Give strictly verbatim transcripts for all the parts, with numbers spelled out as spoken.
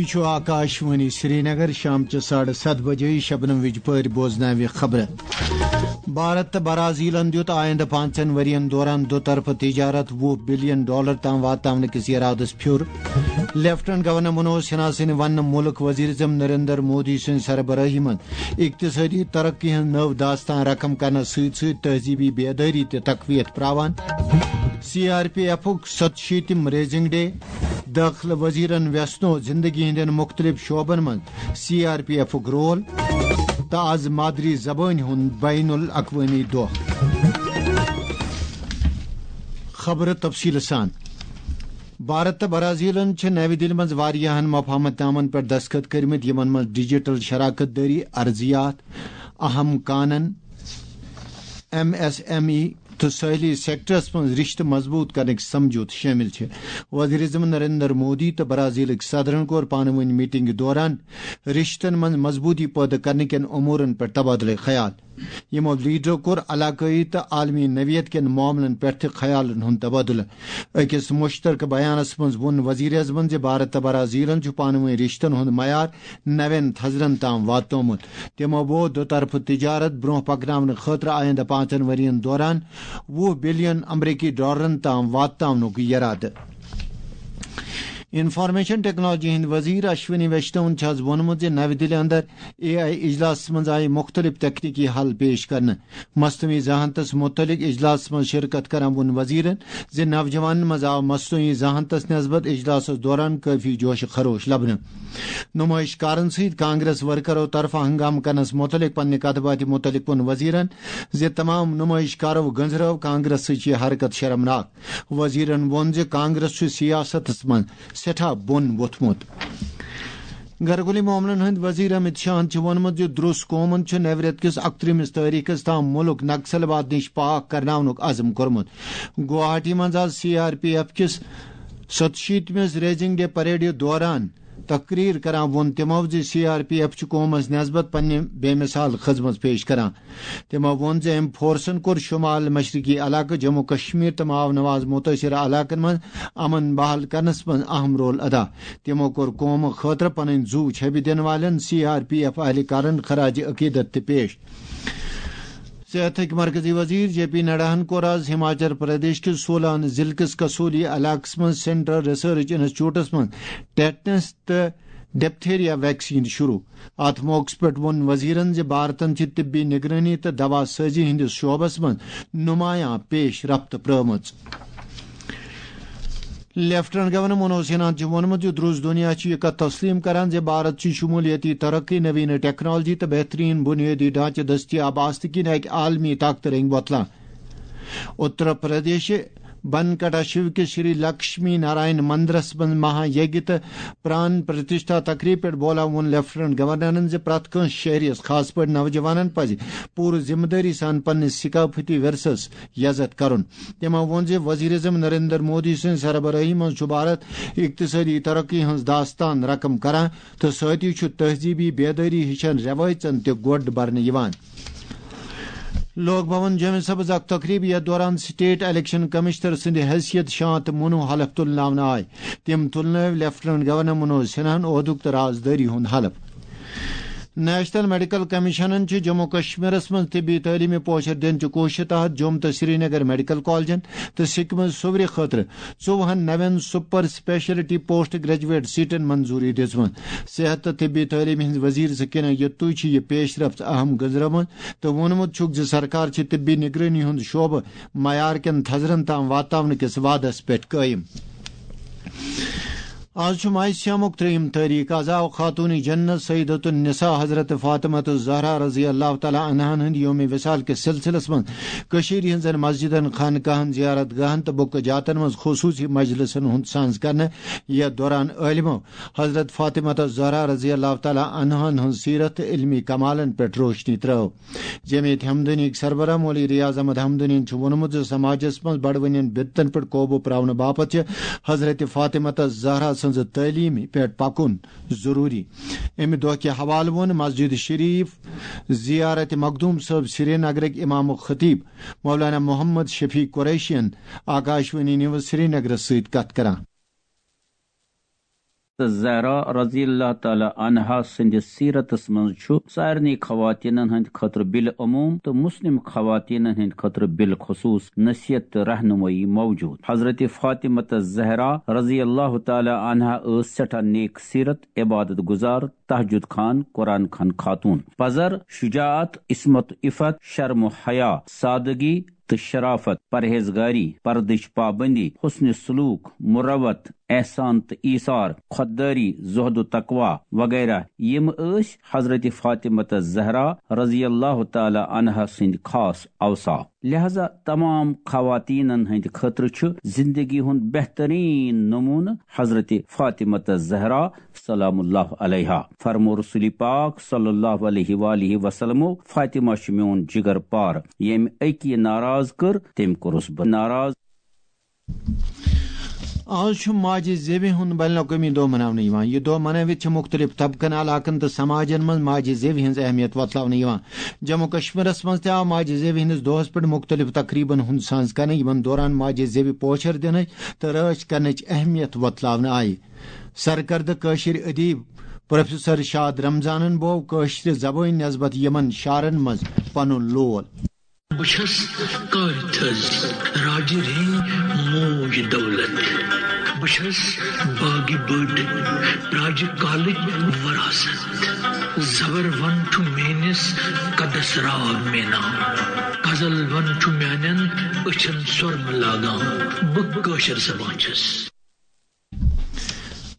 چھُ آکاشوانی سرینگر۔ شام چہِ ساڑٕ ستھ بجے شبنم وِجہِ پٲرۍ بوزناوِ خبرٕ۔ بھارت تہٕ برازیلن دیُت آیندٕ پانٛژن ؤرین دوران دُطرفہٕ تجارت وُہ بلین ڈالر تام واتناونہٕ کِس ارادس پھیُر۔ لیفٹننٹ گورنر منوج سنہا سٕنٛدِ وننہٕ مُلک وزیر اعظم نریندر مودی سٕنٛزِ سربرٲہی منٛز اقتصٲدی ترقی ہٕنٛز نٔو داستان رقم کرنس سۭتۍ سۭتۍ تہذیبی بیدٲری تہِ تقویت پراوان۔ سی آر پی ایفُک ستشیٖتِم ریزنگ ڈے۔ دٲخلہٕ وزیرن ویژھنو زندگی ہٕنٛدٮ۪ن مُختٔلِف شعبن منٛز سی آر پی ایفُک رول تہٕ از مادری زبٲنۍ ہُنٛد بین الاقوٲمی دۄہ۔ خبرٕ تفصیٖلہٕ سان۔ بھارت تہٕ برازیلن چھِ نَوِ دِلہِ منٛز واریاہن مفاہمت نامن پٮ۪ٹھ دستخط کٔرمٕتۍ، یِمن منٛز ڈیجیٹل شراکت دٲری، ارضیات، اہم کانن، ایم ایس ایم ای تہٕ سٲحلی سیکٹرس منٛز رشتہٕ مضبوط کرنٕکۍ سمجھوتہٕ شٲمِل چھِ۔ وزیر اعظم نریندر مودی تہٕ برازیلٕکۍ صدرن کوٚر پانہٕ وٲنۍ میٹنگہِ دوران رشتن منٛز مضبوٗطی پٲدٕ کرنہٕ کٮ۪ن امورن پٮ۪ٹھ تبادلہٕ خیال۔ یِمو لیڈرو کوٚر علاقٲیی تہٕ عالمی نوعیت کٮ۪ن معاملن پٮ۪ٹھ تہِ خیالن ہُنٛد تبادلہٕ۔ أکِس مُشترکہٕ بیانس منٛز ووٚن وزیر اعظمن زِ بھارت تہٕ برازیلن چھُ پانہٕ وٲنۍ رشتن ہُنٛد معیار نوٮ۪ن تھزرن تام واتنومُت۔ تِمو ووٚن، دُطرفہٕ تجارت برونٛہہ پکناونہٕ خٲطرٕ آیندٕ پانٛژن ؤرین دوران وُہ بلین امریکی ڈالرن تام واتناونُک یرادٕ۔ انفارمیشن ٹیکنالوجی ہٕنٛدۍ وزیر اشونی ویشنون چھُ از ووٚنمُت زِ نَوِ دِلہِ اندر اے آئی اجلاسس منٛز آیہِ مُختٔلِف تکنیکی حل پیش کرنہٕ۔ مصنوعی ذہانتس مُتعلق اجلاسس منٛز شرکت کران ووٚن وزیرن زِ نوجوانن منٛز آو مصنوعی ذہانتس نسبت اجلاسس دوران کٲفی جوش خروش لبنہٕ۔ نمٲیش کارن سۭتۍ کانگریس ورکرو طرفہٕ ہنگامہٕ کرنس مُتعلق پننہِ کتھ باتھِ مُتعلق ووٚن وزیرن زِ تمام نمٲیش کارو گٔنزرٲو کانگریس سۭتۍ یہِ حرکت شرمناک۔ وزیرن ووٚن زِ کانگریس چھُ سیاستس منٛز سٮ۪ٹھاہ بۄن ووٚتھمُت۔ گرکُلی معاملن ہٕنٛدۍ وزیر امت شاہن چھُ ووٚنمُت زِ درُس قومن چھُ نوِ رٮ۪تہٕ کِس اکترٛہمِس تٲریخس تام مُلک نکسل واد نِش پاک کرناونُک عزم کوٚرمُت۔ گوہاٹی منٛز آز سی آر پی ایف کِس ستشیٖتمِس ریزنگ ڈے پریڈ دوران تقریر کران ووٚن تِمو زِ سی آر پی ایف چھُ قومس نسبت پننہِ بے مثال خدمت پیش کران۔ تِمو ووٚن زِ أمۍ فورسن کوٚر شمال مشرقی علاقہٕ جموں کشمیر تہٕ ماو نواز متٲثرٕ علاقن منٛز امن بحال کرنس منٛز اہم رول ادا۔ تِمو کوٚر قومہٕ خٲطرٕ پنٕنۍ زُو چھبہِ دِنہٕ والٮ۪ن سی آر پی ایف اہلکارن خراج عقیدت تہِ پیش۔ صحتٕکۍ مرکزی وزیر جے پی نڈاہن کوٚر آز ہماچل پردیش کِس سولان ضلعہٕ کِس کسولی علاقس منٛز سینٹرل ریسرچ انسٹیٹیوٹس منٛز ٹیٹنس تہٕ ڈپتھیریا ویکسین شروع۔ اتھ موقعس پٮ۪ٹھ ووٚن وزیرن زِ بھارتن چھِ طبی نگرٲنی تہٕ دوا سازی ہٕنٛدِس شعبس منٛز نمایاں پیش رفت پرٲومٕژ۔ لیفٹننٹ گورنر منوج سنہاہن چھُ ووٚنمُت زِ درُس دُنیا چھُ یہِ کتھ تسلیم کران زِ بھارت چھُ شمولیتی ترقی، نوینہ ٹیکنالوجی تہٕ بہترین بنیٲدی ڈھانچہٕ دٔستیاب آسنہٕ کِنۍ اکہِ عالمی طاقتہٕ رنگۍ وۄتلان۔ اتر پردیش بنکٹا شیو کِس شری لکشمی نارائن مندرس منٛز مہا یگیہ تہٕ پران پرتشٹھا تقریب پٮ۪ٹھ بولان ووٚن لیفٹننٹ گورنرن زِ پرٛٮ۪تھ کٲنٛسہِ شہریَس، خاص پٲٹھۍ نوجوانن، پزِ پوٗرٕ ذمہٕ دٲری سان پننِس ثقافتی ورثس یزتھ کرُن۔ تِمو ووٚن زِ وزیر اعظم نریندر مودی سٕنٛزِ سربرٲہی منٛز چھُ بھارت اقتصٲدی ترقی ہٕنٛز داستان رقم کران تہٕ سۭتی چھُ تہذیبی بیدٲری ہِشن رٮ۪وٲیژن تہِ گۄڈ برنہٕ یِوان۔ لوک بھون جومہِ سبز اکھ تقریب، یتھ دوران سٹیٹ الیکشن کمشنر سٕنٛدِ حیثیت شانت منو حلف تُلناونہٕ آے۔ تِم تُلنٲوۍ لیفٹننٹ گورنر منوج سنہاہن عہدُک تہٕ رازدٲری ہُنٛد حلف۔ نیشنل میڈیکل کمیشنن چھِ جموں کشمیرس منٛز طبی تعلیمہِ پوچھر دِنچہِ کوٗششہِ تحت جوم تہٕ سرینگر میڈیکل کالجن تہٕ سکمز صوورِ خٲطرٕ ژوٚوُہن نوٮ۪ن سپر اسپیشلٹی پوسٹ گریجویٹ سیٹن منظوری دِژمٕژ۔ صحت تہٕ طبی تعلیمہِ ہٕنٛز وزیر سکینہ یتوٗ چھِ یہِ پیش رفت اہم گٔنزرٲومٕژ تہٕ ووٚنمُت چھُکھ زِ سرکار چھِ طبی نگرٲنی ہُنٛد شعبہٕ معیار کٮ۪ن تھزرن تام واتناونہٕ کِس وعدس پٮ۪ٹھ قٲیِم۔ آز چھُ ماہِ صیامُک ترٛیٚیِم تٲریخ۔ آز آو خاتوٗنِ جنت سیدۃ النساء حضرت فاطمہ الزہرا رضی اللہ تعالیٰ عنہن ہٕنٛدِ یومِ وصال کِس سلسلس منٛز کٔشیٖرِ ہٕنٛزن مسجدن، خانقاہن، زیارت گاہن تہٕ بُقعہٕ جاتن منٛز خصوٗصی مجلسن ہُنٛد سانز کرنہٕ۔ یتھ دوران عٲلمو حضرت فاطمہ الزہرا رضی اللہ تعالیٰ عنہن ہٕنٛز سیرت تہٕ علمی کمالن پٮ۪ٹھ روشنی ترٲو۔ جمعیت ہمدنیٕکۍ سربراہ مولوی ریاض احمد ہمدنین چھُ ووٚنمُت زِ سماجس منٛز بڑوٕنٮ۪ن بدعتن پٮ۪ٹھ قوبوٗ پراونہٕ باپتھ چھِ حضرت فاطمہ الزہرا سٕنٛزِ تعلیمہِ پٮ۪ٹھ پکُن ضروٗری۔ اَمہِ دۄہ کہِ حوالہٕ ووٚن مسجد شریف زیارت مخدوم صٲب سرینگرٕکۍ امام و خطیب مولانا محمد شفیع قریشین آکاشوانی نیوز سرینگرس سۭتۍ کتھ کران۔ تہٕ زہرا رضی اللہ تعالیٰ عنہا سٕنٛدِس سیرتس منٛز چھُ سارنٕے خواتیٖنن ہٕنٛدِ خٲطرٕ بالعموم تہٕ مسلم خواتیٖنن ہٕنٛدِ خٲطرٕ بالخصوص نصیحت تہٕ رہنمٲیی موجود۔ حضرت فاطمہ تہٕ زہرا رضی اللہ تعالیٰ عنہا ٲس سٮ۪ٹھاہ نیک سیرت، عبادت گزار، تہجد خان، قرآن خان خاتون، پزر، شجاعت، عصمت و عفت، شرم و حیا، سادگی، تہٕ شرافت، پرہیزگاری، پردٕچ پابندی، حسن سلوک، مروت، احسان تہٕ ایثار، خودداری، زہد و تقوی وغیرہ، یِم ٲسۍ حضرت فاطمہ تہٕ زہرا رضی اللہ تعالیٰ عنہا سٕنٛدۍ خاص اوصاف۔ لہذا تمام خواتینن ہٕنٛدِ خٲطرٕ چھُ زندگی ہُنٛد بہترین نمونہٕ حضرت فاطمہ تہٕ زہرا سلام اللہ علیہا۔ فرمو رسول پاک صلی اللہ علیہ وآلہ وسلمو، فاطمہ چھِ میون جگر پار، ییٚمۍ أکی ناراض کٔر، تٔمۍ کوٚرُس بہٕ ناراض۔ آز چھُ ماجہِ زیوِ ہُنٛد بین الاقوٲمی دۄہ مناونہٕ یِوان۔ یہِ دۄہ منٲوِتھ چھِ مُختٔلِف طبقن، علاقن تہٕ سماجن منٛز ماجہِ زیوِ ہٕنٛز اہمیت وۄتلاونہٕ یِوان۔ جموں کشمیرس منٛز تہِ آو ماجہِ زیوِ ہٕنٛدِس دۄہس پٮ۪ٹھ مُختٔلِف تقریبن ہُنٛد ساز کرنہٕ، یِمن دوران ماجہِ زیوِ پوچھر دِنٕچ تہٕ رٲچھ کرنٕچ اہمیت وۄتلاونہٕ آیہِ۔ سرکردٕ کٲشِر ادیب پروفیسر شاد رمضانن بوو کٲشرِ زبٲنۍ نسبت یِمن شعرن منٛز پنُن لول۔ بہٕ چھَس کارِ تھٔز راجہِ رینۍ موج دولت۔ بہٕ چھَس باغہِ بٔڑ راجہِ کالٕچ وراثت۔ زبر ون چھُ میٲنِس قدس راو مینا۔ غزل ون چھُ میانٮ۪ن أچھن سۄرمہٕ لاگان۔ بہٕ کٲشِر زبان چھَس۔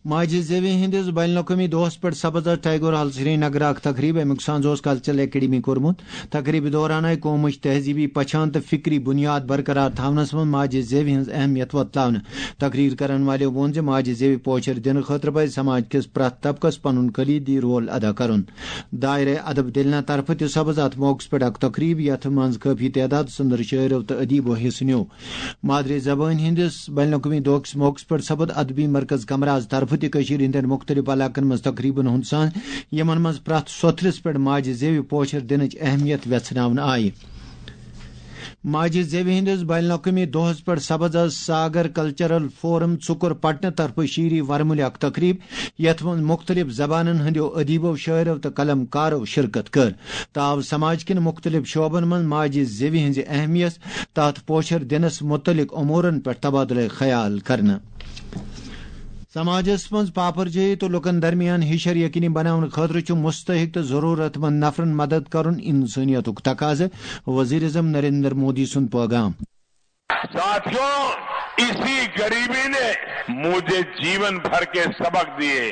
ماجہِ زیوِ ہٕنٛدِس بین الاقوٲمی دۄہس پٮ۪ٹھ سپز ٹیگور ہال سرینگر اکھ تقریب۔ امیُک سانز اوس کلچرل اکیڈمی کوٚرمُت۔ تقریبہِ دوران آیہِ قومٕچ تہذیٖبی پہچان تہٕ فکری بُنیاد برقرار تھاونس منٛز ماجہِ زیوِ ہٕنٛز اہمیت وۄتلاونہٕ۔ تقریر کرن والٮ۪و ووٚن زِ ماجہِ زیوِ پوچھر دِنہٕ خٲطرٕ پزِ سماج کِس پرٛٮ۪تھ طبقس پنُن کلیدی رول ادا کرُن۔ دایرہ ادب دِلنہ طرفہٕ تہِ سپز اتھ موقعس پٮ۪ٹھ اکھ تقریب، یتھ منٛز کٲفی تعداد سندر شٲعرو تہٕ ادیبو حصہٕ نیوٗ۔ مادری زبٲنۍ ہٕنٛدِس بین الاقوٲمی دۄہ کِس موقعس پٮ۪ٹھ سپد ادبی مرکز کمراز طرفہٕ تہِ کٔشیٖرِ ہٕنٛدٮ۪ن مُختٔلِف علاقن منٛز تقریبن ہُنٛد سان، یِمن منٛز پرٛٮ۪تھ سۄتھرِس پٮ۪ٹھ ماجہِ زیوِ پوچھر دِنٕچ اہمیت وٮ۪ژھناونہٕ آیہِ۔ ماجہِ زیوِ ہٕنٛدِس بین الاقوٲمی دۄہس پٮ۪ٹھ سپز از ساگر کلچرل فورم ژُکُر پٹنہٕ طرفہٕ شیٖری ورمُلہِ اکھ تقریب، یتھ منٛز مُختٔلِف زبانن ہٕنٛدیو ادیبو، شٲعرو تہٕ قلم کارو شرکت کٔر۔ تہٕ آو سماج کٮ۪ن مُختٔلِف شعبن منٛز ماجہِ زیوِ ہٕنٛزِ اہمیت تہٕ اتھ پوچھر دِنس مُتعلق امورن پٮ۪ٹھ تبادلہٕ خیال کرنہٕ۔ سماجس منٛز پاپرجٲیی تہٕ لوٗکن درمیان ہِشر یقینی بناونہٕ خٲطرٕ چھُ مستحق تہٕ ضروٗرت مند نفرن مدد کرُن انسٲنیتُک تقاضہٕ، وزیر اعظم نریندر مودی سُنٛد پیغام۔ ساتھیوں، اسی غریبی نے مجھے جیون بھر کے سبق دیے۔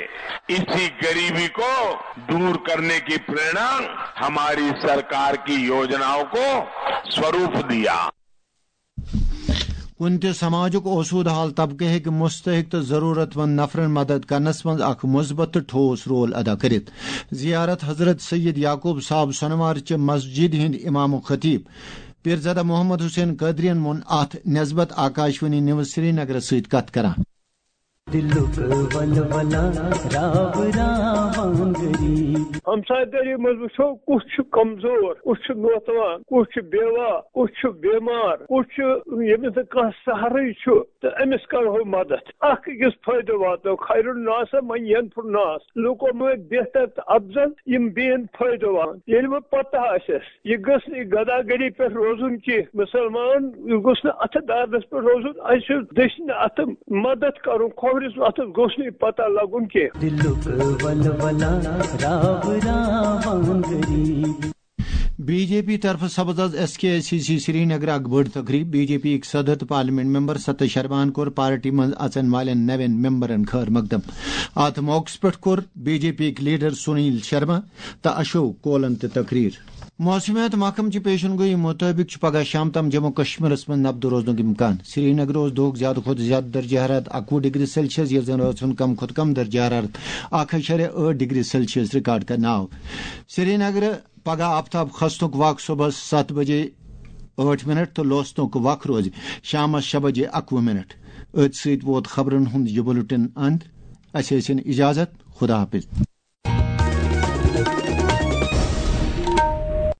اسی غریبی کو दूर करने की प्रेरणा हमारी सरकार की योजनाओं को स्वरूप दिया। کُنہِ تہِ سماجُک اوسوٗدٕ حال طبقہٕ ہیٚکہِ مستحق تہٕ ضروٗرت مند نفرن مدد کرنس منٛز اکھ مثبت تہٕ ٹھوس رول ادا کٔرِتھ۔ زیارت حضرت سید یعقوب صاحب سۄنوار چہِ مسجد ہٕنٛدۍ امام و خطیب پیرزادہ محمد حسین قادرین ووٚن اتھ نسبت آکاشوانی نیوز سرینگرس سۭتۍ کتھ کران۔ دلُک ولولہ راو راوان غریب۔ ہمسایہِ دٲری منٛز وٕچھو، کُس چھُ کمزور، کُس چھُ نوتوان، کُس چھُ بیوہ، کُس چھُ بیمار، کُس چھُ ییٚمِس نہٕ کانٛہہ سہارٕے چھُ، تہٕ أمِس کرہو مدد۔ اکھ أکِس فٲیدٕ واتو، خیر الناس من ینفع الناس۔ لوٗکو مٲنۍ بہتر تہٕ افضل، یِم بیٚین فٲیدٕ واتن۔ ییٚلہِ وۄنۍ پتہ آسٮ۪س، یہِ گٔژھ نہٕ یہِ گداگری پٮ۪ٹھ روزُن کینٛہہ۔ مُسلمان، یہِ گوٚژھ نہٕ اتھٕ دردس پٮ۪ٹھ روزُن۔ اسہِ چھُ دٔچھنہِ اتھٕ مدد کرُن، کھوورِس اتھس گوٚژھ نہٕ یہِ پتہ لگُن کینٛہہ۔ دلُک ولولہ راو راوان غریب۔ بی جے پی طرفہٕ سپز از S K C C Srinagar اکھ بٔڑ تقریب۔ بی جے پی یٕکۍ صدر تہٕ پارلیمنٹ ممبر ستہ شرمان کوٚر پارٹی منٛز اژن والٮ۪ن نوٮ۪ن ممبرن خٲر مقدم۔ اتھ موقعس پٮ۪ٹھ کوٚر بی جے پی یٕکۍ لیڈر سنیل شرما تہٕ اشوک کولن تہِ تقریر۔ موسمیات محکمہٕ چہِ پیشن گویی مُطٲبِق چھُ پگہہ شام تام جموں کشمیرس منٛز نبدٕ روزنُک امکان۔ سرینگرٕ اوس دۄہُک زیادٕ کھۄتہٕ زیادٕ درجہ حرارت اَکوُہ ڈگری سیلسیس، ییٚلہِ زن رٲژ ہُنٛد کم کھۄتہٕ کم درجہ حرارت اکھ اَشاریہ ٲٹھ ڈگری سیلسیس ریکارڈ کرنہٕ آو۔ سرینگرٕ پگہہ آفتاب کھسنُک وق صبحس ستھ بجے ٲٹھ منٹ تہٕ لوسنُک وق روزِ شامس شےٚ بجے اَکوُہ منٹ۔ أتھۍ سۭتۍ ووت خبرن ہُنٛد یہِ بُلٹن اند۔ اسہِ ٲسِن اجازت، خدا حافظ۔